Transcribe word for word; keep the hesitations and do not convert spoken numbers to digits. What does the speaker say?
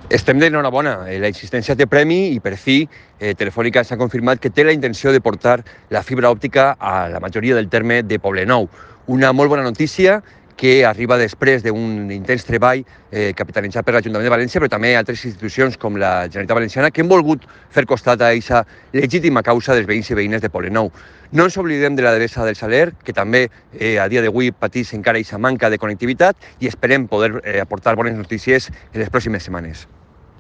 Estem d'enhorabona, la insistència té premi i per fi eh, Telefònica s'ha confirmat que té la intenció de portar la fibra òptica a la majoria del terme de Poblenou. Una molt bona notícia que arriba després d'un intens treball eh, capitalitzat per l'Ajuntament de València, però també altres institucions com la Generalitat Valenciana que han volgut fer costat a aquesta legítima causa dels veïns i veïnes de Poblenou. No ens oblidem de la Devesa del Saler, que també eh, a dia d'avui pateix encara aquesta manca de connectivitat i esperem poder eh, aportar bones notícies en les pròximes setmanes.